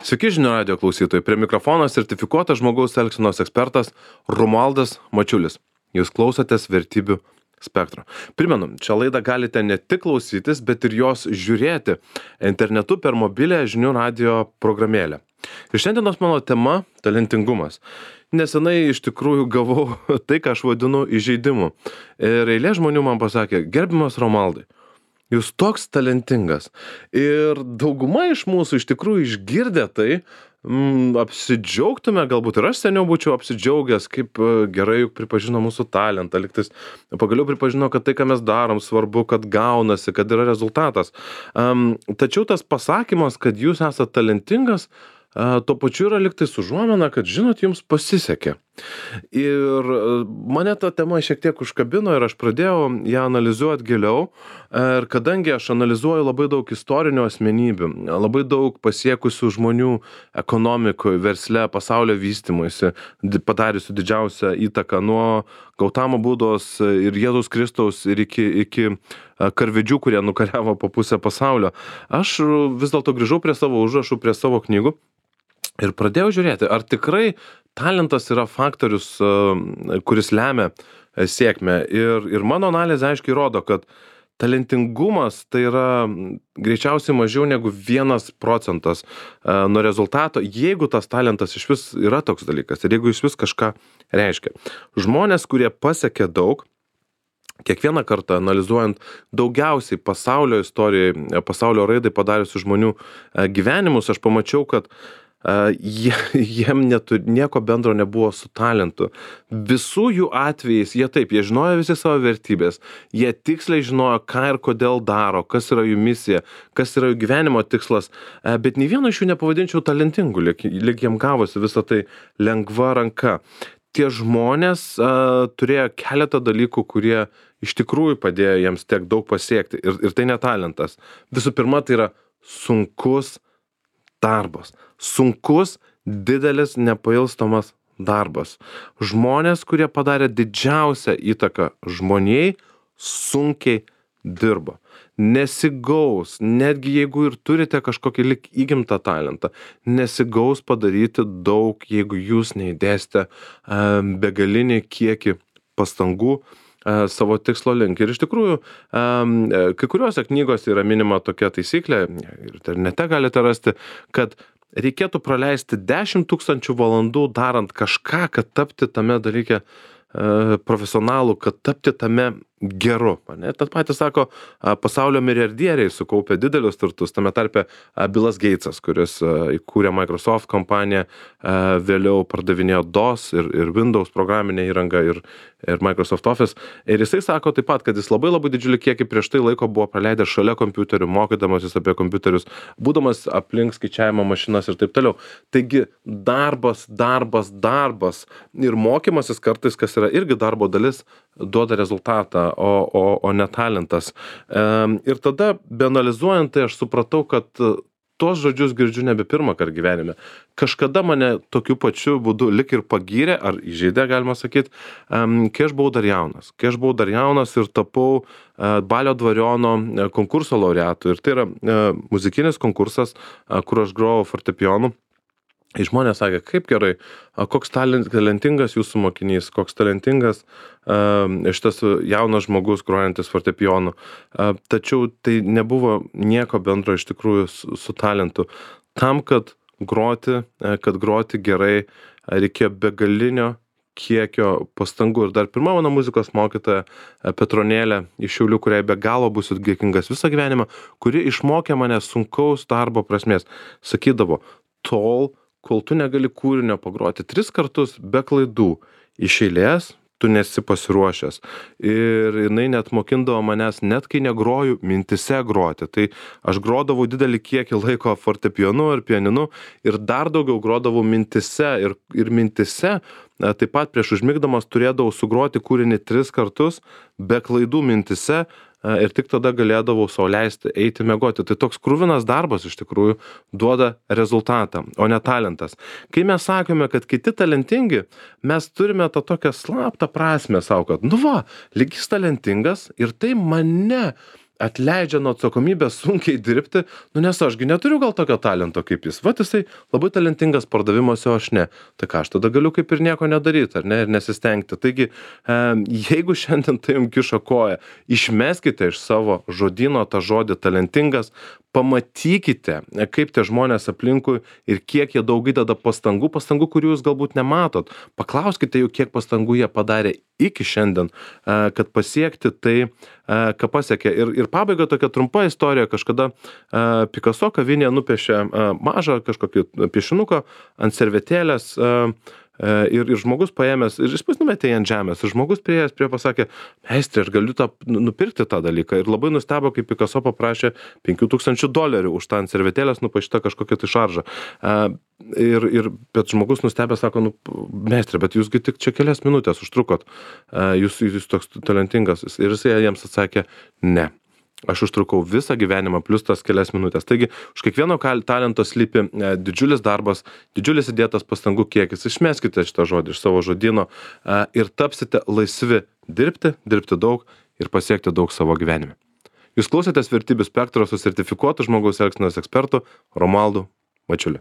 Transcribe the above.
Sveiki žinių radijo klausytojai. Prie mikrofono sertifikuotas žmogaus elgsenos ekspertas Romualdas Mačiulis. Jūs klausotės Vertybių spektro. Primenu, šią laidą galite ne tik klausytis, bet ir jos žiūrėti internetu per mobilę žinių radijo programėlę. Ir šiandienos mano tema – talentingumas. Nesenai iš tikrųjų gavau tai, ką aš vadinu įžeidimu. Ir eilė žmonių man pasakė: gerbiamas Romualdai, jūs toks talentingas. Ir dauguma iš mūsų iš tikrųjų išgirdę tai, apsidžiaugtume, galbūt ir aš seniau būčiau apsidžiaugęs, kaip gerai juk pripažino mūsų talentą, lygtais pagaliau pripažino, kad tai, ką mes darom, svarbu, kad gaunasi, kad yra rezultatas. Tačiau tas pasakymas, kad jūs esate talentingas, tuo pačiu yra lygtais užuomina, kad žinot, jums pasisekė. Ir mane ta tema šiek tiek užkabino ir aš pradėjau ją analizuoti giliau. Ir kadangi aš analizuoju labai daug istorinių asmenybių, labai daug pasiekusių žmonių ekonomikoje, versle, pasaulio vystymuisi, padariusių didžiausią įtaką nuo Gautamo Budos ir Jėzaus Kristaus ir iki karvedžių, kurie nukariavo po pusę pasaulio. Aš vis dėlto grįžau prie savo užrašų, prie savo knygų ir pradėjau žiūrėti, ar tikrai talentas yra faktorius, kuris lemia sėkmę. Ir mano analizė aiškiai rodo, kad talentingumas tai yra greičiausiai mažiau negu 1% nuo rezultato, jeigu tas talentas iš vis yra toks dalykas ir jeigu iš vis kažką reiškia. Žmonės, kurie pasiekė daug, kiekvieną kartą analizuojant daugiausiai pasaulio istorijoje, pasaulio raidai padariusių žmonių gyvenimus, aš pamačiau, kad jiem nieko bendro nebuvo su talentu. Visų jų atvejais jie žinojo visi savo vertybės, jie tiksliai žinojo, ką ir kodėl daro, kas yra jų misija, kas yra jų gyvenimo tikslas, bet nei vieno iš jų nepavadinčiau talentingu, lyg jiem gavosi visą tai lengva ranka. Tie žmonės turėjo keletą dalykų, kurie iš tikrųjų padėjo jiems tiek daug pasiekti. Ir tai ne talentas. Visų pirma, tai yra sunkus darbas. Sunkus, didelis, nepailstamas darbas. Žmonės, kurie padarė didžiausią įtaką žmonijai, sunkiai dirba. Nesigaus, netgi jeigu ir turite kažkokį lyg įgimtą talentą, nesigaus padaryti daug, jeigu jūs neįdėsite begalinį kiekį pastangų savo tikslo link. Ir iš tikrųjų, kai kuriuose knygose yra minima tokia taisyklė, ir internete galite rasti, kad reikėtų praleisti 10 000 valandų darant kažką, kad tapti tame dalyke profesionalu, kad tapti tame geru. Tad patys sako, pasaulio milijardieriai sukaupė didelius turtus, tame tarpe Billas Gatesas, kuris įkūrė Microsoft kompaniją, vėliau pardavinėjo DOS ir Windows programinę įrangą ir Microsoft Office. Ir jisai sako taip pat, kad jis labai didžiulį kiekį prieš tai laiko buvo praleidęs šalia kompiuterių, mokydamasis apie kompiuterius, būdamas aplink skaičiavimo mašinas ir taip toliau. Taigi darbas ir mokymasis kartais, kas yra irgi darbo dalis, duoda rezultatą, o ne talentas. Ir tada, beanalizuojant, tai aš supratau, kad tuos žodžius girdžiu nebe pirmą kartą gyvenime. Kažkada mane tokiu pačiu būdu lik ir pagyrė, ar įžeidė, galima sakyti, kai aš buvau dar jaunas ir tapau Balio Dvariono konkurso laureatu. Ir tai yra muzikinis konkursas, kur aš grojau fortepijonu. Ir žmonės sakė, kaip gerai, koks talentingas jūsų mokinys, koks talentingas šitas jaunas žmogus grojantis fortepijonu. Tačiau tai nebuvo nieko bendro iš tikrųjų su talentu. Tam, kad groti gerai, reikėjo begalinio kiekio pastangų. Ir dar pirma mano muzikos mokytoja Petronėlė iš Šiaulių, kuriai be galo būsiu dėkingas visą gyvenimą, kuri išmokė mane sunkaus darbo prasmės. Sakydavo, kol tu negali kūrinio pagroti 3 kartus be klaidų iš eilės, tu nesi pasiruošęs. Ir jinai net mokindavo manęs, net kai negroju, mintise groti. Tai aš grodavau didelį kiekį laiko fortepijonu ir pianinu ir dar daugiau grodavau mintise. Ir mintise taip pat prieš užmigdamas turėdavau sugroti kūrinį 3 kartus be klaidų mintise. Ir tik tada galėdavau sau leisti eiti miegoti. Tai toks kruvinas darbas iš tikrųjų duoda rezultatą, o ne talentas. Kai mes sakome, kad kiti talentingi, mes turime tą tokią slaptą prasmę savo, kad lyg jis talentingas ir tai mane atleidžia nuo atsakomybės sunkiai dirbti, nu nes aš gi neturiu gal tokio talento kaip jis. Vat jisai labai talentingas pardavimuose, o aš ne. Tai ką, aš tada galiu kaip ir nieko nedaryti, ar ne, ir nesistengti. Taigi, jeigu šiandien tai jums kiša koją, išmeskite iš savo žodyno tą žodį talentingas, pamatykite, kaip tie žmonės aplinkui ir kiek jie daug įdeda pastangų, kurių jūs galbūt nematot. Paklauskite jų, kiek pastangų jie padarė iki šiandien, kad pasiekti tai, ką pasiekė. Ir pabaiga tokia trumpa istorija. Kažkada Picasso kavinėje nupiešė mažą kažkokį piešinuką ant servetėlės, ir žmogus paėmęs, ir jis numetė jį ant žemės, ir žmogus priėjęs prie pasakė, meistri, aš galiu nupirkti tą dalyką. Ir labai nustebo, kai Picasso paprašė $5,000 už tą ant servetėlės nupaišytą kažkokią tai šaržą. Bet žmogus nustebė, sako, meistri, bet jūsgi tik čia kelias minutės užtrukot, jūs toks talentingas. Ir jisai jiems atsakė, ne. Aš užtrukau visą gyvenimą plus tas kelias minutės. Taigi, už kiekvieno talento slypi didžiulis darbas, didžiulis įdėtas pastangų kiekis. Išmeskite šitą žodį iš savo žodyno ir tapsite laisvi dirbti daug ir pasiekti daug savo gyvenime. Jūs klausėtės Vertybių spektro su sertifikuotu žmogaus elgsenos ekspertu Romualdu Mačiuliu.